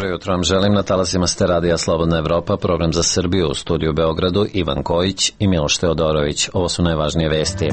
Dobro jutro vam želim, na talasima ste Radija Slobodna Evropa, program za Srbiju, u studiju u Beogradu, Ivan Kojić i Miloš Teodorović. Ovo su najvažnije vesti.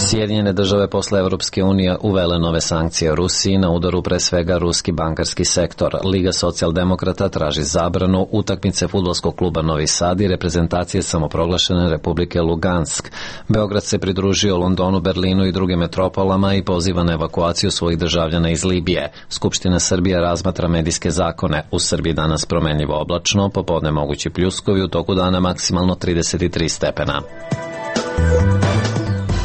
Sjedinjene države posle Evropske unije uvele nove sankcije Rusiji, na udaru pre svega ruski bankarski sektor. Liga socijaldemokrata traži zabranu utakmice fudbalskog kluba Novi Sad i reprezentacije samoproglašene Republike Lugansk. Beograd se pridružio Londonu, Berlinu i drugim metropolama i poziva na evakuaciju svojih državljana iz Libije. Skupština Srbije razmatra medijske zakone. U Srbiji danas promenljivo oblačno, popodne mogući pljuskovi, u toku dana maksimalno 33 stepena.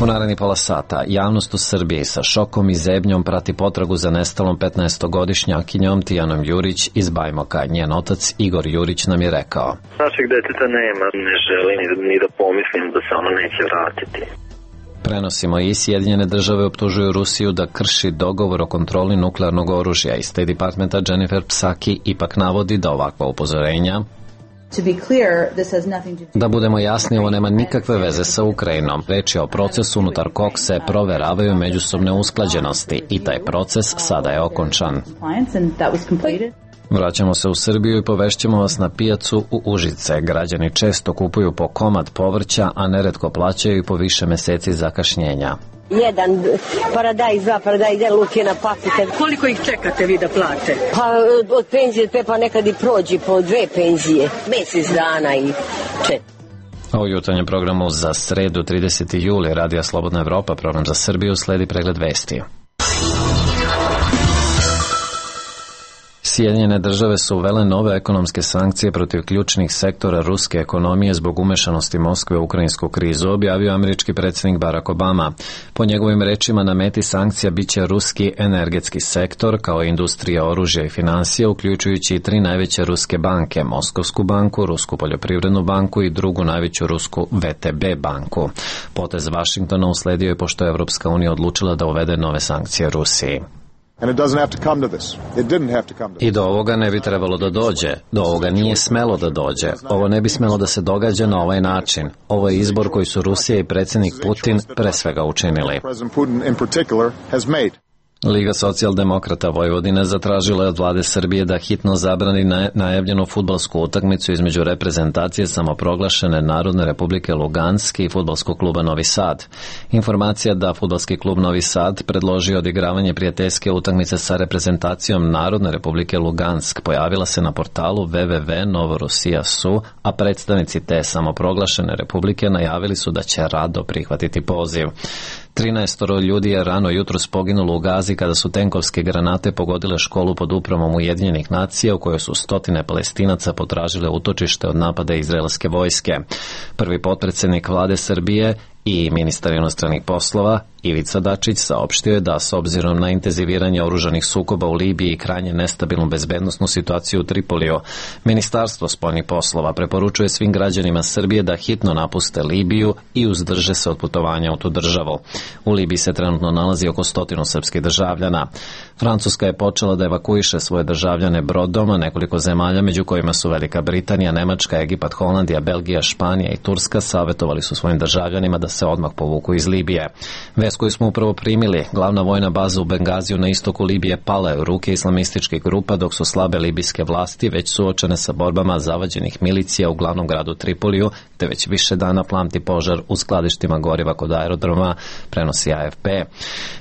U naredni pola sata javnost u Srbiji sa šokom i zebnjom prati potragu za nestalom 15-godišnjakinjom Tijanom Jurić iz Bajmoka. Njen otac Igor Jurić nam je rekao: Našeg deteta nema, ne želim ni da pomislim da se ono neće vratiti. Prenosimo i Sjedinjene države optužuju Rusiju da krši dogovor o kontroli nuklearnog oružja. Iz State Departmenta Jennifer Psaki ipak navodi da ovakva upozorenja. Da budemo jasni, ovo nema nikakve veze sa Ukrajinom. Reč je o procesu unutar kog se proveravaju međusobne usklađenosti i taj proces sada je okončan. Vraćamo se u Srbiju i povešćemo vas na pijacu u Užice. Građani često kupuju po komad povrća, a neretko plaćaju i po više meseci zakašnjenja. Jedan paradajz, dva paradajz, jedan luk, jedna paprika. Koliko ih čekate vi da plate? Pa od penzije pa nekad i prođi po 2 penzije, mesec dana i 4. A u jutarnjem programu za sredu 30. juli Radija Slobodna Evropa, program za Srbiju, sledi pregled vesti. Sjedinjene države su uvele nove ekonomske sankcije protiv ključnih sektora ruske ekonomije zbog umešanosti Moskve u ukrajinsku krizu, objavio američki predsjednik Barack Obama. Po njegovim rečima, na meti sankcija biće ruski energetski sektor, kao i industrija oružja i financija, uključujući i 3 najveće ruske banke, Moskovsku banku, Rusku poljoprivrednu banku i drugu najveću rusku VTB banku. Potez Vašingtona usledio je pošto je Evropska unija odlučila da uvede nove sankcije Rusiji. I do ovoga ne bi trebalo da dođe. Do ovoga nije smelo da dođe. Ovo ne bi smelo da se događa na ovaj način. Ovo je izbor koji su Rusija i predsjednik Putin pre svega učinili. Liga socijaldemokrata Vojvodine zatražila je od vlade Srbije da hitno zabrani najavljenu fudbalsku utakmicu između reprezentacije samoproglašene Narodne republike Lugansk i fudbalskog kluba Novi Sad. Informacija da fudbalski klub Novi Sad predložio odigravanje prijateljske utakmice sa reprezentacijom Narodne republike Lugansk pojavila se na portalu www.novorusija.su, a predstavnici te samoproglašene republike najavili su da će rado prihvatiti poziv. 13 ljudi je rano jutros poginulo u Gazi kada su tenkovske granate pogodile školu pod upravom Ujedinjenih nacija u kojoj su stotine Palestinaca potražile utočište od napada izraelske vojske. Prvi potpredsjednik vlade Srbije i ministar inostranih poslova Ivica Dačić saopštio je da s obzirom na intenziviranje oružanih sukoba u Libiji i krajnje nestabilnu bezbednosnu situaciju u Tripoliju, Ministarstvo spoljnih poslova preporučuje svim građanima Srbije da hitno napuste Libiju i uzdrže se od putovanja u tu državu. U Libiji se trenutno nalazi oko 100 srpskih državljana. Francuska je počela da evakuiše svoje državljane brodom, a nekoliko zemalja, među kojima su Velika Britanija, Nemačka, Egipat, Holandija, Belgija, Španija i Turska, savjetovali su svojim državljanima da se odmah povuku iz Libije. Vest koju smo upravo primili, glavna vojna baza u Bengaziju na istoku Libije pala je u ruke islamističkih grupa, dok su slabe libijske vlasti već suočene sa borbama zavađenih milicija u glavnom gradu Tripoliju, te već više dana plamti požar u skladištima goriva kod aerodroma, prenosi AFP.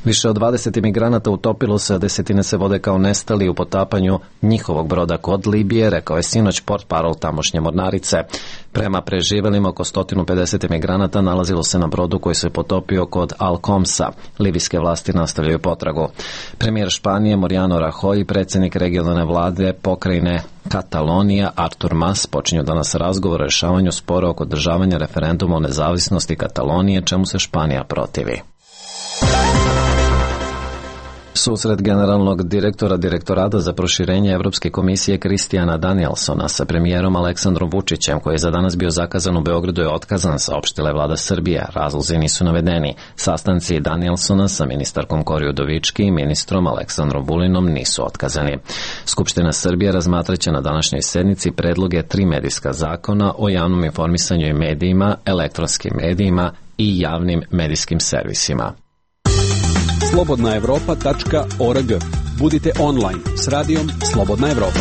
Više od 20 imigranata utopilo se, a desetine se vode kao nestali u potapanju njihovog broda kod Libije, rekao je sinoć portparol tamošnje mornarice. Prema preživelima, oko 150 imigranata nalazilo se na brodu koji se potopio kod Al-Komsa. Libijske vlasti nastavljaju potragu. Premijer Španije Mariano Rajoy i predsjednik regionalne vlade pokrajine Katalonija Artur Mas počinju danas razgovor o rešavanju spora oko održavanja referenduma o nezavisnosti Katalonije, čemu se Španija protivi. Susret generalnog direktora Direktorata za proširenje Evropske komisije Kristijana Danielsona sa premijerom Aleksandrom Vučićem, koji je za danas bio zakazan u Beogradu, je otkazan, saopštila je vlada Srbije. Razlozi nisu navedeni. Sastanci Danielsona sa ministarkom Kori Udovički i ministrom Aleksandrom Vulinom nisu otkazani. Skupština Srbije razmatraće na današnjoj sednici predloge 3 medijska zakona o javnom informisanju i medijima, elektronskim medijima i javnim medijskim servisima. slobodnaevropa.org Budite online s radijom Slobodna Evropa.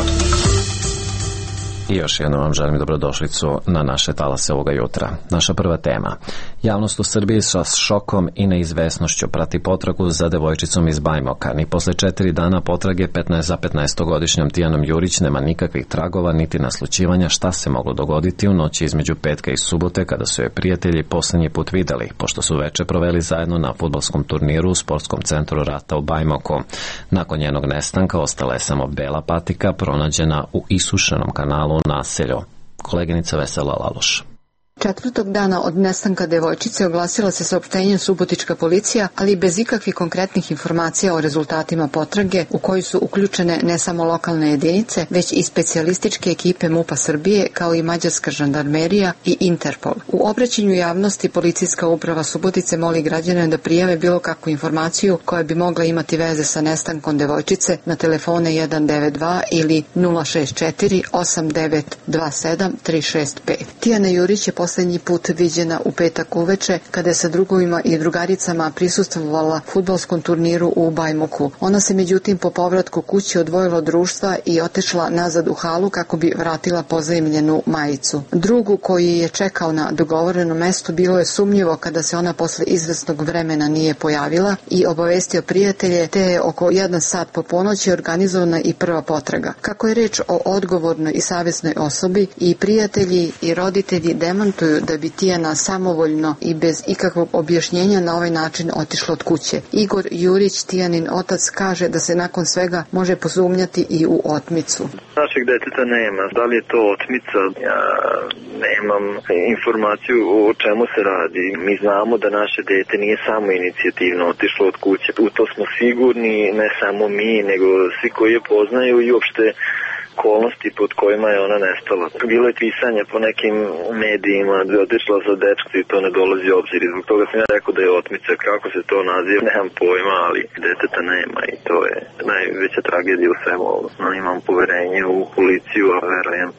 I još jednom vam želim dobrodošlicu na naše talase ovoga jutra. Naša prva tema. Javnost u Srbiji sa šokom i neizvesnošću prati potragu za devojčicom iz Bajmoka. Ni posle 4 dana potrage 15-godišnjom Tijanom Jurić nema nikakvih tragova niti naslućivanja šta se moglo dogoditi u noći između petka i subote kada su je prijatelji poslednji put videli, pošto su veče proveli zajedno na fudbalskom turniru u sportskom centru Rata u Bajmoku. Nakon njenog nestanka ostala je samo bela patika pronađena u isušenom kanalu u naselju. Koleginica Vesela Laloš. 4. dana od nestanka devojčice oglasila se saopštenjem subotička policija, ali bez ikakvih konkretnih informacija o rezultatima potrage u koju su uključene ne samo lokalne jedinice, već i specijalističke ekipe MUP-a Srbije, kao i mađarska žandarmerija i Interpol. U obraćanju javnosti Policijska uprava Subotice moli građane da prijave bilo kakvu informaciju koja bi mogla imati veze sa nestankom devojčice na telefone 192 ili 064 8927 365. Tijana Jurić je poslednji put viđena u petak uveče kada je sa drugovima i drugaricama prisustvovala fudbalskom turniru u Bajmoku. Ona se međutim po povratku kući odvojila od društva i otišla nazad u halu kako bi vratila pozajmljenu majicu. Drugu koji je čekao na dogovorenom mestu bilo je sumnjivo kada se ona posle izvesnog vremena nije pojavila i obavestio prijatelje, te je oko 1 sat po ponoći organizovana i prva potraga. Kako je reč o odgovornoj i savesnoj osobi, i prijatelji i roditelji demantuju da bi Tijana samovoljno i bez ikakvog objašnjenja na ovaj način otišla od kuće. Igor Jurić, Tijanin otac, kaže da se nakon svega može posumnjati i u otmicu. Našeg deteta nema. Da li je to otmica? Ja nemam informaciju o čemu se radi. Mi znamo da naše dete nije samo inicijativno otišlo od kuće. U to smo sigurni, ne samo mi, nego svi koji je poznaju i uopšte okolnosti pod kojima je ona nestala. Bilo je pisanje po nekim medijima da je otišla za dečka i to ne dolazi u obzir. Zbog toga sam ja rekao da je otmica. Kako se to naziva, nemam pojma, ali deteta nema i to je najveća tragedija u svemu ovo. Imam poverenje u policiju, a verujem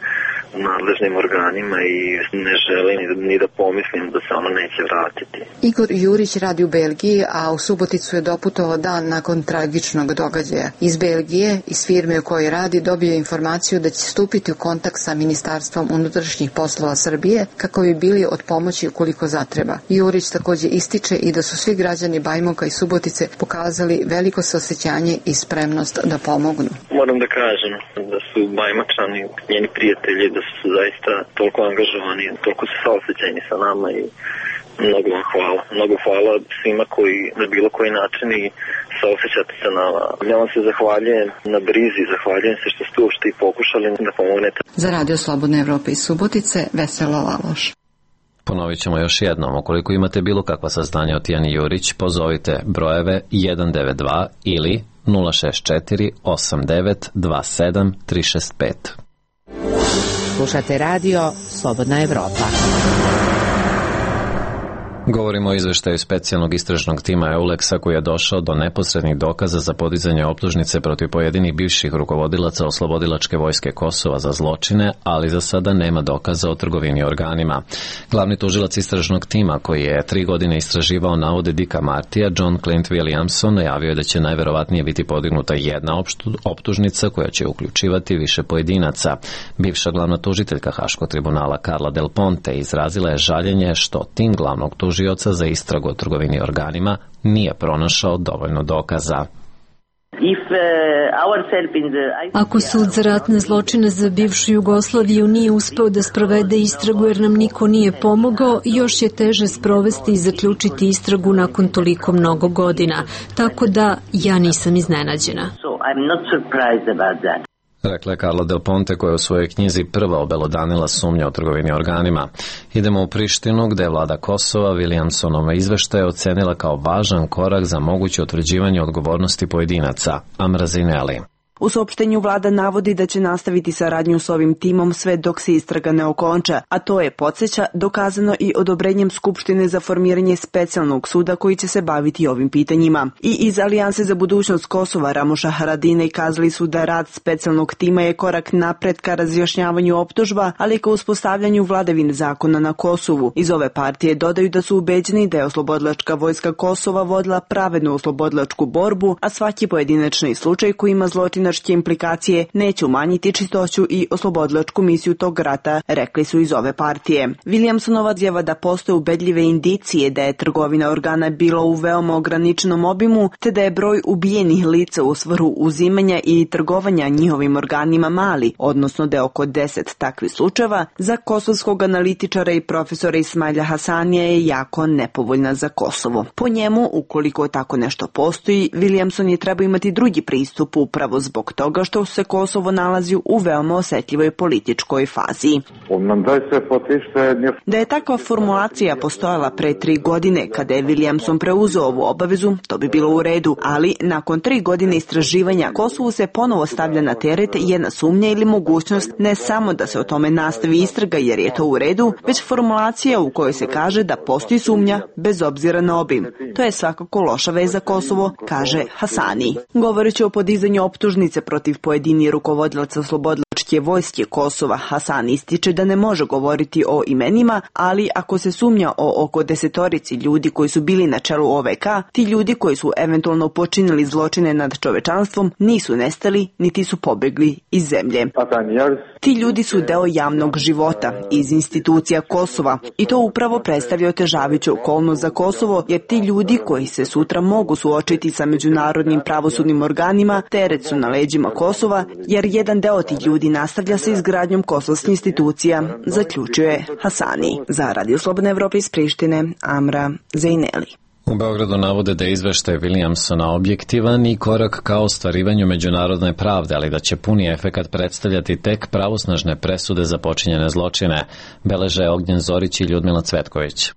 u nadležnim organima i ne želim ni da pomislim da se ona neće vratiti. Igor Jurić radi u Belgiji, a u Suboticu je doputovao dan nakon tragičnog događaja. Iz Belgije, iz firme u kojoj radi, dobio informaciju da će stupiti u kontakt sa Ministarstvom unutrašnjih poslova Srbije kako bi bili od pomoći ukoliko zatreba. Jurić takođe ističe i da su svi građani Bajmoka i Subotice pokazali veliko saosećanje i spremnost da pomognu. Moram da kažem da su Bajmačani, njeni prijatelji, da su zaista toliko angažovani, toliko su saosećajni sa nama i mnogo vam hvala. Mnogo hvala svima koji na bilo koji način i saosećate sa nama. Ja vam se zahvaljujem na brizi, zahvaljujem se što ste uopšte i pokušali da pomognete. Za Radio Slobodne Evrope iz Subotice, Vesela Laloš. Ponovit ćemo još jednom. Ukoliko imate bilo kakva saznanja o Tijani Jurić, pozovite brojeve 192 ili 064 8927 365. Slušate radio Slobodna Evropa. Govorimo o izveštaju specijalnog istražnog tima EULEX-a koji je došao do neposrednih dokaza za podizanje optužnice protiv pojedinih bivših rukovodilaca Oslobodilačke vojske Kosova za zločine, ali za sada nema dokaza o trgovini organima. Glavni tužilac istražnog tima koji je 3 godine istraživao navode Dicka Martija, John Clint Williamson, najavio je da će najverovatnije biti podignuta jedna optužnica koja će uključivati više pojedinaca. Bivša glavna tužiteljka Haškog tribunala Carla Del Ponte izrazila je žaljenje što tim glavnog tužioca za istragu o trgovini organima nije pronašao dovoljno dokaza. Ako sud za ratne zločine za bivšu Jugoslaviju nije uspeo da sprovede istragu jer nam niko nije pomogao, još je teže sprovesti i zaključiti istragu nakon toliko mnogo godina. Tako da ja nisam iznenađena. Rekla je Carla Del Ponte koja je u svojoj knjizi prva obelodanila sumnje o trgovini organima. Idemo u Prištinu gde je vlada Kosova Williamsonova izveštaje ocenila kao važan korak za moguće utvrđivanje odgovornosti pojedinaca. Amra Zineli. U saopštenju vlada navodi da će nastaviti saradnju s ovim timom sve dok se istraga ne okonča, a to je, podsjeća, dokazano i odobrenjem Skupštine za formiranje specijalnog suda koji će se baviti ovim pitanjima. I iz Alijanse za budućnost Kosova Ramoša Haradinaj kazali su da rad specijalnog tima je korak napred ka razjašnjavanju optužba, ali ka uspostavljanju vladavine zakona na Kosovu. Iz ove partije dodaju da su ubeđeni da je oslobodilačka vojska Kosova vodila pravednu oslobodilačku borbu, a svaki pojedinačni slučaj koji ima zločinačke implikacije neće umanjiti čistoću i oslobodilačku misiju tog rata, rekli su iz ove partije. Williamsonova izjava da postoje ubedljive indicije da je trgovina organa bila u veoma ograničenom obimu, te da je broj ubijenih lica u svrhu uzimanja i trgovanja njihovim organima mali, odnosno da je oko 10 takvih slučajeva, za kosovskog analitičara i profesora Ismaila Hasanija je jako nepovoljna za Kosovo. Po njemu, ukoliko tako nešto postoji, Williamson je treba imati drugi pristup upravo zbog toga što se Kosovo nalazi u veoma osetljivoj političkoj fazi. Da je takva formulacija postojala pre 3 godine kada je Williamson preuzeo ovu obavezu, to bi bilo u redu, ali nakon 3 godine istraživanja Kosovu se ponovo stavlja na teret jedna sumnja ili mogućnost ne samo da se o tome nastavi istraga jer je to u redu, već formulacija u kojoj se kaže da postoji sumnja bez obzira na obim. To je svakako loša veza za Kosovo, kaže Hasani. Govoreći o podizanju optužnice protiv pojedini rukovodilaca oslobodilačke vojske Kosova, Hasani ističe da ne može govoriti o imenima, ali ako se sumnja o oko 10 ljudi koji su bili na čelu OVK, ti ljudi koji su eventualno počinili zločine nad čovečanstvom nisu nestali niti su pobegli iz zemlje. Ti ljudi su deo javnog života iz institucija Kosova i to upravo predstavlja otežavajuću okolnost za Kosovo, jer ti ljudi koji se sutra mogu suočiti sa međunarodnim pravosudnim organima teret su na leđima Kosova, jer jedan deo tih ljudi nastavlja sa izgradnjom kosovskih institucija, zaključuje Hasani. Za Radio Slobodna Evropa iz Prištine, Amra Zejneli. U Beogradu navode da je izveštaj Williamsona objektivan i korak ka ostvarivanju međunarodne pravde, ali da će puni efekat predstavljati tek pravosnažne presude za počinjene zločine, beleže Ognjen Zorić i Ljudmila Cvetković.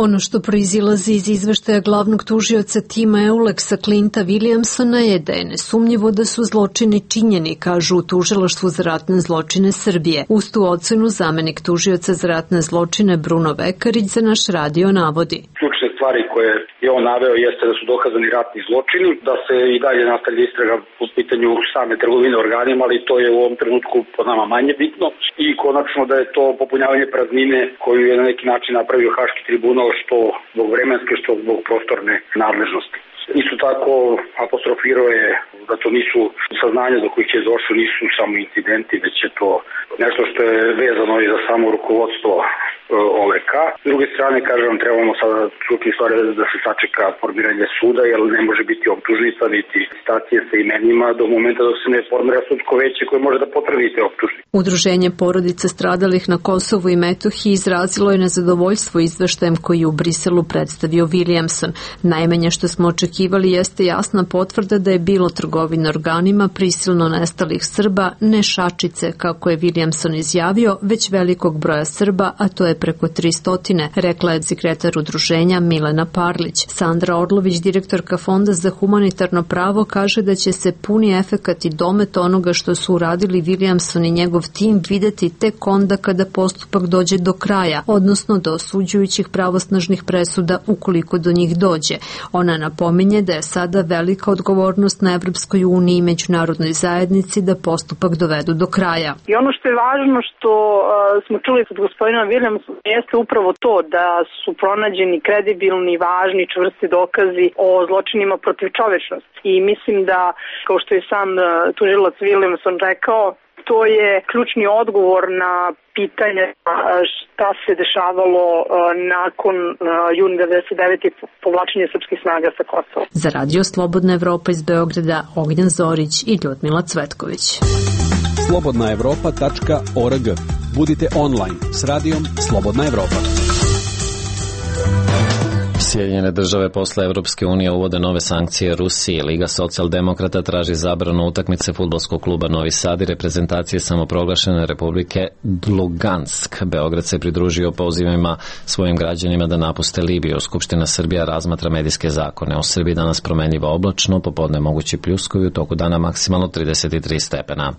Ono što proizilazi iz izveštaja glavnog tužioca tima Euleksa Clinta Williamsona je da je nesumnjivo da su zločini činjeni, kažu u Tužilaštvu za ratne zločine Srbije. Uz tu ocenu zamenik tužioca za ratne zločine Bruno Vekarić za naš radio navodi. Ključne stvari koje je on naveo jeste da su dokazani ratni zločini, da se i dalje nastavlja istraga po pitanju same trgovine organima, ali to je u ovom trenutku po nama manje bitno. I konačno da je to popunjavanje praznine koju je na neki način napravio Haški tribunal, što zbog vremenske, što zbog prostorne nadležnosti. Isto tako apostrofirao je da to nisu saznanja do kojih je došlo, nisu samo incidenti, već je to nešto što je vezano i za samo rukovodstvo OVK. S druge strane, kažem, trebamo sada čuti stvari da se sačeka formiranje suda, jer ne može biti optužnica niti stacije sa imenima do momenta dok se ne formira sudsko veće koje može da potvrdi te optužnice. Udruženje porodica stradalih na Kosovu i Metohiji izrazilo je nezadovoljstvo izveštajem koji je u Briselu predstavio Williamson. Najmanje što smo očekivali jeste jasna potvrda da je bilo trgovine organima prisilno nestalih Srba, ne šačice, kako je Williamson izjavio, već velikog broja Srba, a to je preko 300, rekla je sekretar udruženja Milena Parlić. Sandra Orlović, direktorka Fonda za humanitarno pravo, kaže da će se puni efekat i domet onoga što su uradili Williamson i njegov tim videti tek onda kada postupak dođe do kraja, odnosno do osuđujućih pravosnažnih presuda ukoliko do njih dođe. Ona napominje da je sada velika odgovornost na Evropskoj uniji i međunarodnoj zajednici da postupak dovedu do kraja. I ono što je važno što smo čuli od gospodina Williamsona jeste upravo to da su pronađeni kredibilni, važni, čvrsti dokazi o zločinima protiv čovečnosti. I mislim da, kao što je sam tužilac Williamson rekao, to je ključni odgovor na pitanje šta se dešavalo nakon juna 99. povlačenja srpskih snaga sa Kosova. Za Radio Slobodna Evropa iz Beograda, Ognjen Zorić i Ljudmila Cvetković. slobodnaevropa.org. Budite online s radijom Slobodna Evropa. Sjedinjene države posle Evropske unije uvode nove sankcije Rusiji. Liga socijaldemokrata traži zabranu utakmice fudbalskog kluba Novi Sad i reprezentacije samoproglašene Republike Lugansk. Beograd se pridružio pozivima svojim građanima da napuste Libiju. Skupština Srbija razmatra medijske zakone. U Srbiji danas promenljivo oblačno, popodne mogući pljuskovi, u toku dana maksimalno 33 stepena.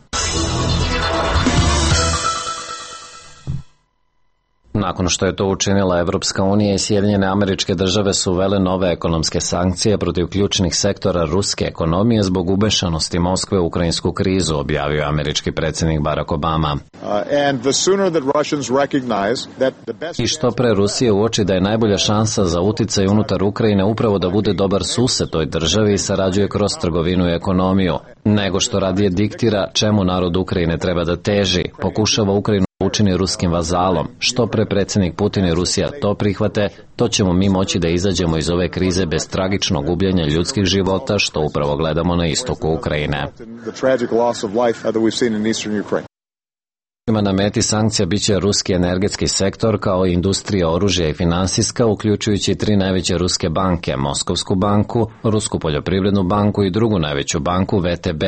Nakon što je to učinila Evropska unija i Sjedinjene Američke Države su uvele nove ekonomske sankcije protiv ključnih sektora ruske ekonomije zbog umešanosti Moskve u ukrajinsku krizu, objavio američki predsjednik Barack Obama. I što pre Rusije uoči da je najbolja šansa za uticaj unutar Ukrajine upravo da bude dobar sused toj državi i sarađuje kroz trgovinu i ekonomiju, nego što radije diktira čemu narod Ukrajine treba da teži, pokušava Ukrajinu učini ruskim vazalom. Što pre predsjednik Putin i Rusija to prihvate, to ćemo mi moći da izađemo iz ove krize bez tragičnog gubljenja ljudskih života, što upravo gledamo na istoku Ukrajine. Na meti sankcija biće ruski energetski sektor kao i industrija oružja i finansijska, uključujući 3 najveće ruske banke, Moskovsku banku, Rusku poljoprivrednu banku i drugu najveću banku VTB.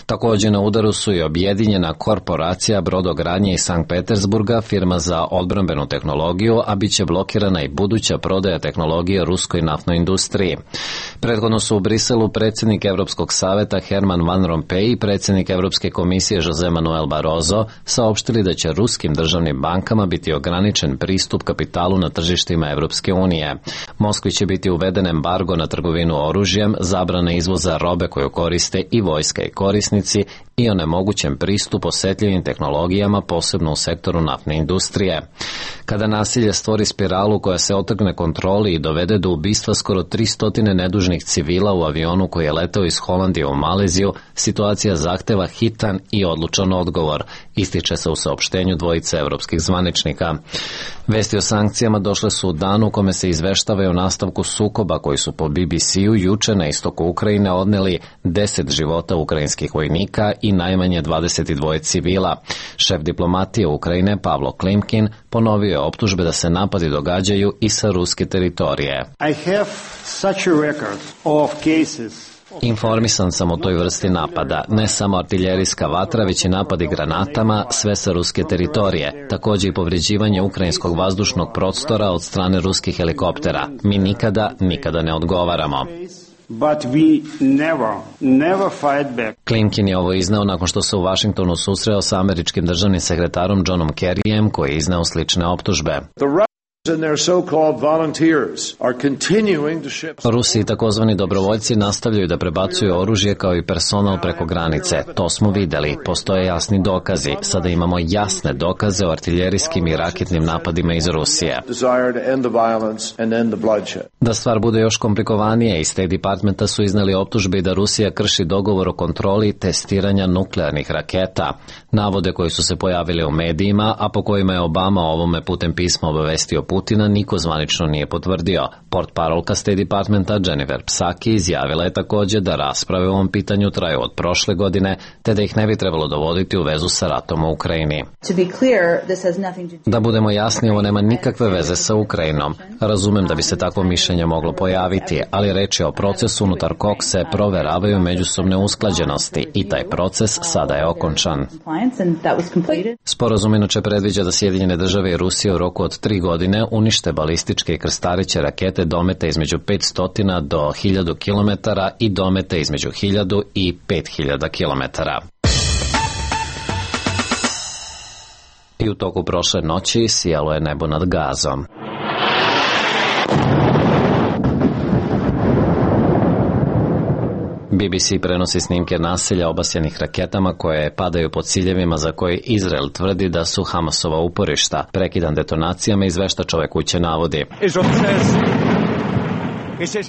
Također na udaru su i objedinjena korporacija brodogradnje iz Sankt Petersburga, firma za odbrambenu tehnologiju, a bit će blokirana i buduća prodaja tehnologije ruskoj naftnoj industriji. Prethodno su u Briselu predsjednik Evropskog saveta Herman Van Rompuy i predsjednik Evropske komisije Jose Manuel Barroso saopštili da će ruskim državnim bankama biti ograničen pristup kapitalu na tržištima Evropske unije. Moskvi će biti uveden embargo na trgovinu oružjem, zabrana izvoza robe koju koriste i vojska i korisnici i onemogućen pristup osjetljivim tehnologijama, posebno u sektoru naftne industrije. Kada nasilje stvori spiralu koja se otrgne kontroli i dovede do ubistva skoro 300 nedužnih civila u avionu koji je letao iz Holandije u Maleziju, situacija zahteva hitan i odlučan odgovor, ističe se u saopštenju dvojice evropskih zvaničnika. Vesti o sankcijama došle su u danu u kome se izveštavaju o nastavku sukoba koji su po BBC-u juče na istoku Ukrajine odneli 10 života ukrajinskih vojnika i najmanje 22 civila. Šef diplomatije Ukrajine Pavlo Klimkin ponovio je optužbe da se napadi događaju i sa ruske teritorije. Informisan sam o toj vrsti napada, ne samo artiljerijska vatra, već i napadi granatama, sve sa ruske teritorije, također i povređivanje ukrajinskog vazdušnog prostora od strane ruskih helikoptera. Mi nikada ne odgovaramo. But we never fight back. Klimkin je ovo izneo nakon što se u Vašingtonu susreo sa američkim državnim sekretarom Johnom Kerryjem, koji je izneo slične optužbe. Rusi i takozvani dobrovoljci nastavljaju da prebacuju oružje kao i personal preko granice. To smo videli. Postoje jasni dokazi. Sada imamo jasne dokaze o artiljerijskim i raketnim napadima iz Rusije. Da stvar bude još komplikovanije, iz State Departmenta su iznali optužbe da Rusija krši dogovor o kontroli testiranja nuklearnih raketa. Navode koji su se pojavili u medijima, a po kojima je Obama ovome putem pisma obavestio Putina, niko zvanično nije potvrdio. Portparolka State Departmenta Jennifer Psaki izjavila je također da rasprave o ovom pitanju traju od prošle godine, te da ih ne bi trebalo dovoditi u vezu sa ratom u Ukrajini. Da budemo jasni, ovo nema nikakve veze sa Ukrajinom. Razumem da bi se takvo mišljenje moglo pojaviti, ali reč je o procesu unutar kog se proveravaju međusobne usklađenosti i taj proces sada je okončan. Sporazum inače predviđa da Sjedinjene države i Rusija u roku od 3 godine unište balističke i krstareće rakete domete između 500 do 1000 km i domete između 1000 i 5000 km. I u toku prošle noći sijalo je nebo nad Gazom. BBC prenosi snimke nasilja obasjanih raketama koje padaju po ciljevima za koje Izrael tvrdi da su Hamasova uporišta. Prekidan detonacijama izveštač ove kuće navodi.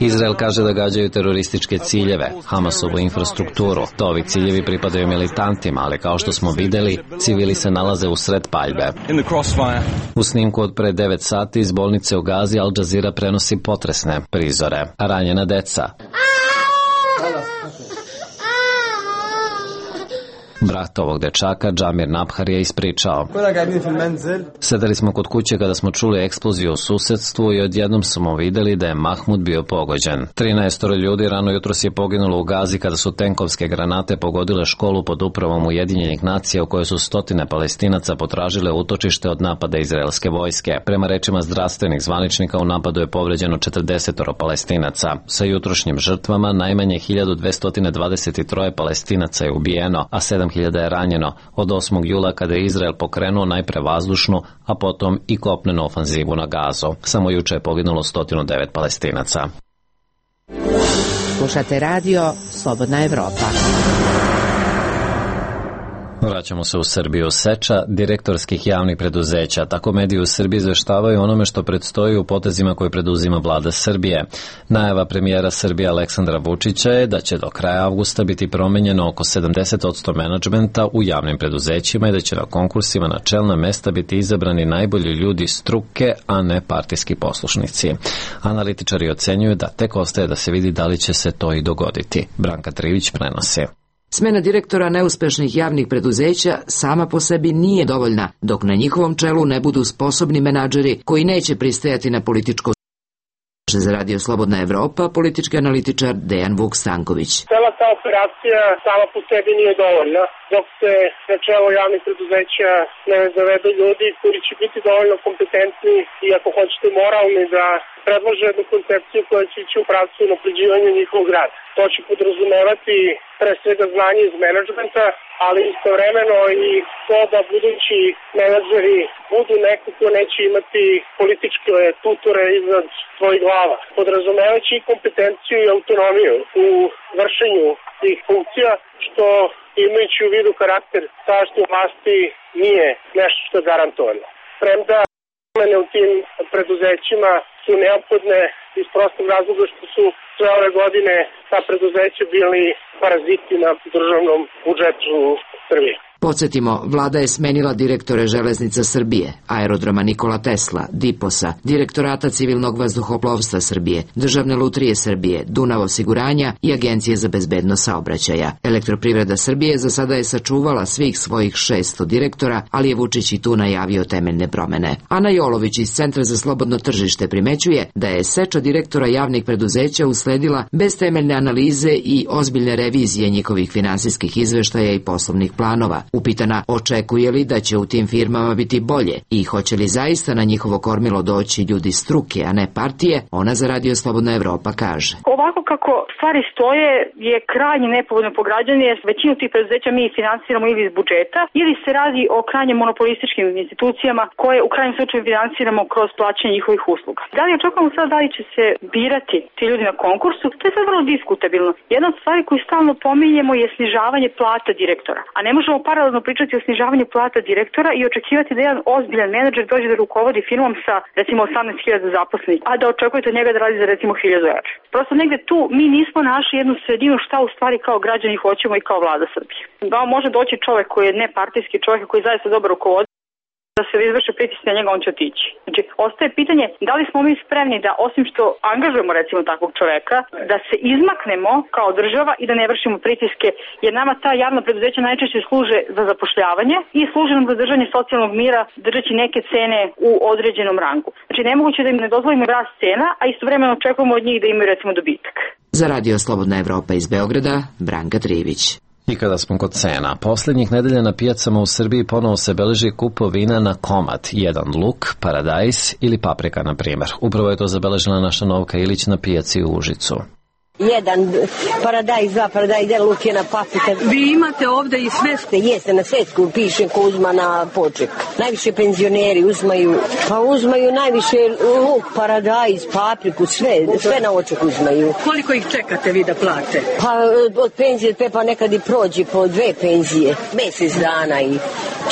Izrael kaže da gađaju terorističke ciljeve, Hamasovu infrastrukturu. To ovi ciljevi pripadaju militantima, ali kao što smo videli, civili se nalaze u sred paljbe. U snimku od pre 9 sati iz bolnice u Gazi Al Jazeera prenosi potresne prizore. Ranjena deca. Brat ovog dečaka, Džamir Nabhar, je ispričao: sedeli smo kod kuće kada smo čuli eksploziju u susedstvu i odjednom smo videli da je Mahmud bio pogođen. 13 ljudi rano jutros je poginulo u Gazi kada su tenkovske granate pogodile školu pod upravom Ujedinjenih nacija u kojoj su stotine Palestinaca potražile utočište od napada izraelske vojske. Prema rečima zdravstvenih zvaničnika, u napadu je povređeno 40 Palestinaca. Sa jutrošnjim žrtvama najmanje 1223 Palestinaca je ubijeno, a 7000 je ranjeno od 8. jula kada je Izrael pokrenuo najpre vazdušnu, a potom i kopnenu ofanzivu na Gazu. Samo juče je poginulo 109 Palestinaca. Slušate radio Slobodna Evropa. Vraćamo se u Srbiju. Seča direktorskih javnih preduzeća. Tako mediji u Srbiji izveštavaju onome što predstoji u potezima koje preduzima vlada Srbije. Najava premijera Srbije Aleksandra Vučića je da će do kraja avgusta biti promenjeno oko 70% menadžmenta u javnim preduzećima i da će na konkursima na čelna mesta biti izabrani najbolji ljudi struke, a ne partijski poslušnici. Analitičari ocenjuju da tek ostaje da se vidi da li će se to i dogoditi. Branka Trivić prenosi. Smena direktora neuspešnih javnih preduzeća sama po sebi nije dovoljna, dok na njihovom čelu ne budu sposobni menadžeri koji neće pristajati na političko. Za Radio Slobodna Evropa, politički analitičar Dejan Vuk Stanković. Cela ta operacija sama po sebi nije dovoljna, dok se na čelo javnih preduzeća ne zavedu ljudi koji će biti dovoljno kompetentni i, ako hoćete, moralni da predlože jednu koncepciju koja će ići u pravcu unapređivanja njihovog rada. To će podrazumevati pre svega znanje iz menadžmenta, ali istovremeno i to da budući menadžeri budu neko ko neće imati političke tutore iznad svojih glava. Podrazumevajući i kompetenciju i autonomiju u vršenju tih funkcija, što imajući u vidu karakter sadašnje vlasti nije nešto što je garantovano. Premda promene u tim preduzećima su neophodne iz prostog razloga što su sve ove godine ta preduzeća bili paraziti na državnom budžetu Srbije. Podsjetimo, vlada je smenila direktore Železnica Srbije, Aerodroma Nikola Tesla, Diposa, Direktorata civilnog vazduhoplovstva Srbije, Državne lutrije Srbije, Dunav osiguranja i Agencije za bezbednost saobraćaja. Elektroprivreda Srbije za sada je sačuvala svih svojih 600 direktora, ali je Vučić i tu najavio temeljne promene. Ana Jolović iz Centra za slobodno tržište primećuje da je seča direktora javnih preduzeća usledila bez temeljne analize i ozbiljne revizije njihovih finansijskih izveštaja i poslovnih planova. Upitana očekuje li da će u tim firmama biti bolje i hoće li zaista na njihovo kormilo doći ljudi struke, a ne partije, ona za Radio Slobodna Evropa kaže. Ovako kako stvari stoje je krajnje nepovoljno po građane, jer većinu tih preduzeća mi finansiramo ili iz budžeta, ili se radi o krajnje monopolističkim institucijama koje u krajnjem slučaju finansiramo kroz plaćanje njihovih usluga. Da li očekujemo sada da li će se birati ti ljudi na konkursu? To je sad vrlo diskutabilno. Jedna od stvari koju stalno pominjemo je snižavanje plata direktora, a ne možemo paralelno pričati o snižavanju plata direktora i očekivati da jedan ozbiljan menadžer dođe da rukovodi firmom sa recimo 18.000 zaposlenih, a da očekujete od njega da radi za recimo 1.000 €. Prosto negde tu mi nismo našli jednu sredinu šta u stvari kao građani hoćemo i kao vlada Srbije. Da može doći čovek koji je nepartijski, čovek koji zaista dobro rukovodi, da se izvrše pritisci na njega, on će otići. Znači, ostaje pitanje da li smo mi spremni da, osim što angažujemo recimo takvog čoveka, da se izmaknemo kao država i da ne vršimo pritiske, jer nama ta javna preduzeća najčešće služe za zapošljavanje i služe nam za držanje socijalnog mira, držeći neke cene u određenom rangu. Znači, nemoguće da im ne dozvolimo rast cena, a istovremeno očekujemo od njih da imaju recimo dobitak. Za Radio Slobodna Evropa iz Beograda, Branka Trivić. I kada smo kod cena, posljednjih nedelja na pijacama u Srbiji ponovo se beleži kupovina na komad, jedan luk, paradajz ili paprika, na primjer. Upravo je to zabeležila naša Novka Ilić na pijaci u Užicu. Jedan paradajz, dva paradajz, jedan luk, jedna paprika. Vi imate ovde i svesku? Jeste, na svesku piše ko uzma na poček. Najviše penzioneri uzmaju najviše luk, paradajz, papriku, sve na oček uzmaju. Koliko ih čekate vi da plate? Pa od penzije pa nekad i prođe po 2 penzije, mjesec dana i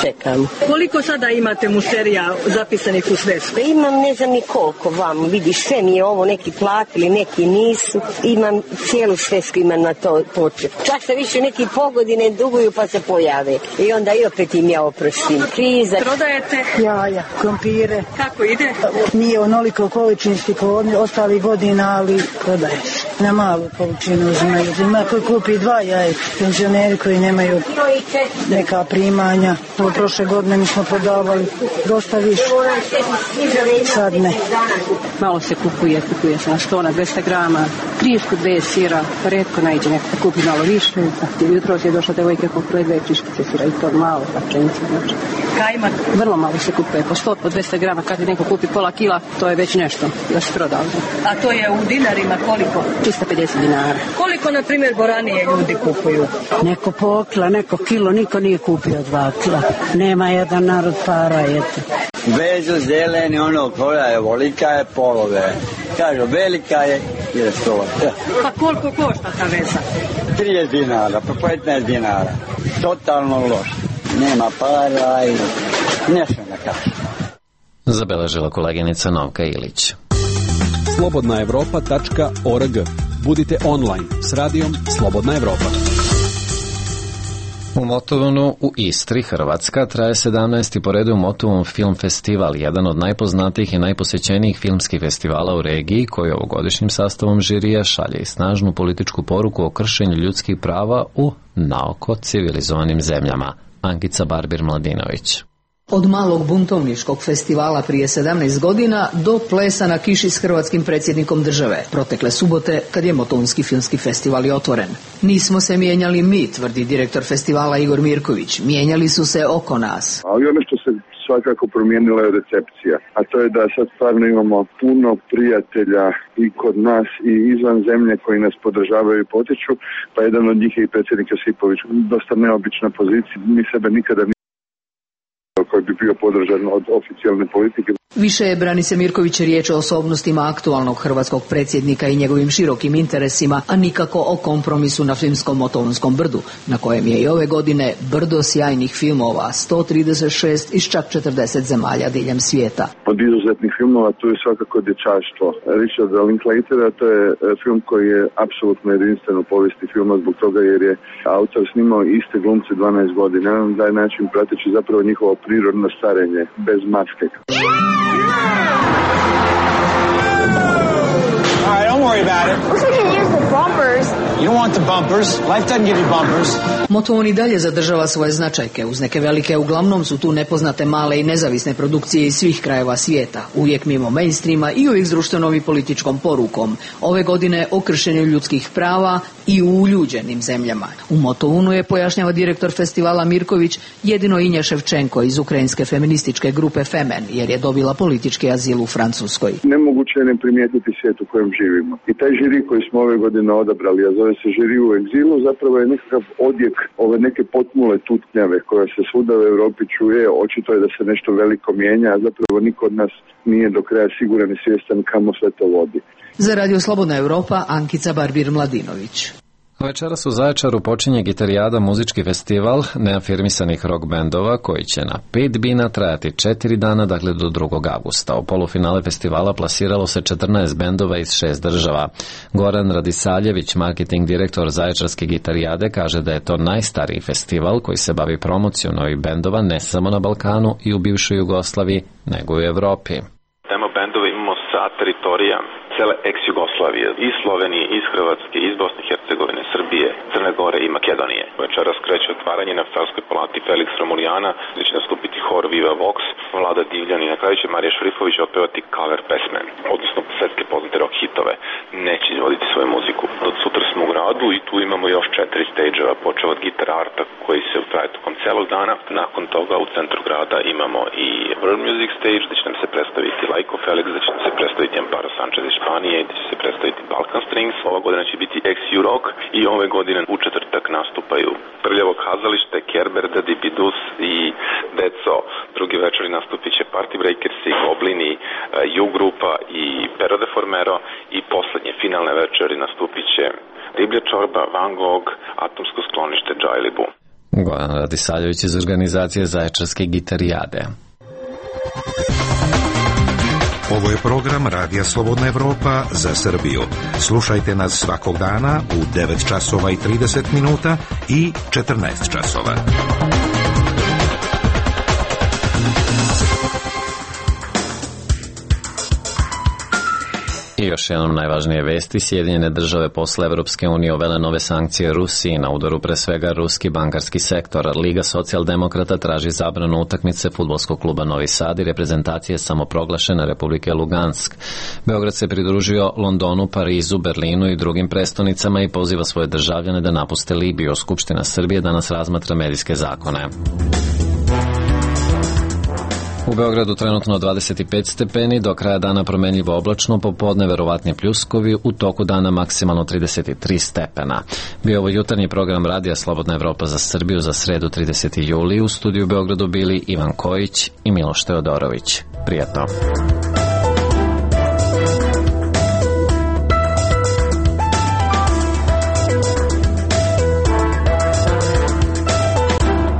čekam. Koliko sada imate mušterija zapisanih u svesku? Imam ne znam ni koliko vam, vidiš, sve mi je ovo, neki platili, neki nisu, imam cijelu svesku imam na to počet. Čak se više neki pogodine duguju pa se pojave. I onda i opet im ja oprostim. Kriza. Prodajete? Jaja, krompire. Kako ide? Nije onoliko količinski kao ostalih godina, ali prodaje se. Na malu količinu uzimaju. Ima koji kupi 2 jaja, penzioneri koji nemaju neka primanja. Prošle godine mi smo prodavali dosta više. Sad ne. Malo se kupuje se na 100, na 200 grama, krišku 2 sira, redko najde neko da kupi malo više. Jutro je došla devojka kupuje 2 kriškice sira i to malo, pa pšenice. Kajmak vrlo malo se kupuje, po 100, po 200 grama, kad neko kupi pola kila, to je već nešto da se proda. A to je u dinarima koliko? 350 dinara. Koliko, na primjer, boranije ljudi kupuju? Neko po kila, neko kilo, niko nije kupio 2 kila. Nema jedan narod para, eto. Vezu zeleni, ono koja je volika je polove. Kažu, velika je 100. Pa koliko košta ta veza? 30 dinara, pa 15 dinara. Totalno loš. Nema para i nešto da kažem. Zabeležila koleginica Novka Ilić. slobodnaevropa.org. Budite online s radijom Slobodna Evropa. U Motovunu u Istri, Hrvatska, traje 17. po redu Motovun film festival, jedan od najpoznatijih i najposećenijih filmskih festivala u regiji, koji ovogodišnjim sastavom žirija šalje i snažnu političku poruku o kršenju ljudskih prava u naoko civilizovanim zemljama. Ankica Barbir-Mladinović. Od malog buntovničkog festivala prije 17 godina do plesa na kiši s hrvatskim predsjednikom države, protekle subote kad je Motovunski filmski festival i otvoren. Nismo se mijenjali mi, tvrdi direktor festivala Igor Mirković, mijenjali su se oko nas. Ali ono što se svakako promijenila je recepcija, a to je da sad stvarno imamo puno prijatelja i kod nas i izvan zemlje koji nas podržavaju i potiču, pa jedan od njih je i predsjednik Josipović. Dosta neobična pozicija, mi sebe nikada koji bi bio podržan od oficijalne politike. Više je, brani se Mirković, riječ o osobnostima aktualnog hrvatskog predsjednika i njegovim širokim interesima, a nikako o kompromisu na filmskom Motovunskom brdu, na kojem je i ove godine brdo sjajnih filmova, 136 iz čak 40 zemalja diljem svijeta. Od izuzetnih filmova tu je svakako Dječaštvo Richarda Linklatera, to je film koji je apsolutno jedinstven u povijesti filma zbog toga jer je autor snimao iste glumce 12 godina, na taj način prateći zapravo njihovo prirodno starenje bez maske. All right, don't worry about it. Looks like you can use the bumpers. You don't want the bumpers. Life doesn't give you bumpers. Motovun i dalje zadržava svoje značajke. Uz neke velike, uglavnom su tu nepoznate male i nezavisne produkcije iz svih krajeva svijeta. Uvijek mimo mainstreama i uvijek s društvenom i političkom porukom. Ove godine o kršenju ljudskih prava i u uljuđenim zemljama. U Motovunu je, pojašnjava direktor festivala Mirković, jedino Inja Ševčenko iz ukrajinske feminističke grupe Femen, jer je dobila politički azil u Francuskoj. Nemoguće je ne primijetiti svijet u kojem živimo. I taj žiri koji smo ove godine odabrali, a zove se žiri u egzilu, zapravo je nekakav odjek ove neke potmule tutnjave koja se svuda u Europi čuje. Očito je da se nešto veliko mijenja, a zapravo niko od nas nije do kraja siguran i svjestan kamo sve to vodi. Za Radio Slobodna Evropa, Ankica Barbir-Mladinović. Večeras u Zaječaru počinje Gitarijada, muzički festival neafirmisanih rock bendova koji će na 5 bina trajati 4 dana, dakle do 2. augusta. U polufinale festivala plasiralo se 14 bendova iz 6 država. Goran Radisaljević, marketing direktor Zaječarske Gitarijade, kaže da je to najstariji festival koji se bavi promocijom novih bendova ne samo na Balkanu i u bivšoj Jugoslaviji, nego i u Evropi. Tema bendova imamo sa teritorija cele ex-Jugoslavije, iz Slovenije, iz Hrvatske, iz Bosne i Hercegovine, Srbije, Crne Gore i Makedonije. Večeras kreće otvaranje na Savskoj palati Felix Romulijana, gdje će nastupiti hor Viva Vox, Vlada Divljan i na kraju će Marija Šrifović otpevati cover pesme, odnosno svetske poznate rock hitove. Neće izvoditi svoju muziku. Od sutra smo u gradu i tu imamo još 4 stage-eva, počeo od Guitar Arta koji se utraje tokom celog dana. Nakon toga u centru grada imamo i World Music Stage, gdje će nam se predstaviti Laiko Felix, gdje će nam se predstaviti Amparo Sanchez iz Španije, gdje će se predstaviti Balkan Strings. Ova godina će biti ex-Rock i ove godine u četvrtak nastupaju Prljavo kazalište, Kerber, Daddy Bidus i Deco. Drugi večeri nastupit će Party Breakers i Goblini, U grupa i Pero de Formero i poslednje finalne večeri nastupit će Riblja čorba, Van Gogh, Atomsko sklonište, Džajlibu. Goran Radisaljević iz organizacije Zaječarske Gitarijade. Ovo je program Radija Slobodna Evropa za Srbiju. Slušajte nas svakog dana u 9 časova i 30 minuta i 14 časova. I još jednom najvažnije vesti, Sjedinjene države posle Evropske unije uvele nove sankcije Rusiji, na udaru pre svega ruski bankarski sektor. Liga socijaldemokrata traži zabranu utakmice fudbalskog kluba Novi Sad i reprezentacije samoproglašene Republike Lugansk. Beograd se pridružio Londonu, Parizu, Berlinu i drugim prestonicama i poziva svoje državljane da napuste Libiju. Skupština Srbije danas razmatra medijske zakone. U Beogradu trenutno 25 stepeni, do kraja dana promenljivo oblačno, popodne verovatni pljuskovi, u toku dana maksimalno 33 stepena. Bio ovo jutarnji program Radija Slobodna Evropa za Srbiju za sredu 30. juli. U studiju u Beogradu bili Ivan Kojić i Miloš Teodorović. Prijatno.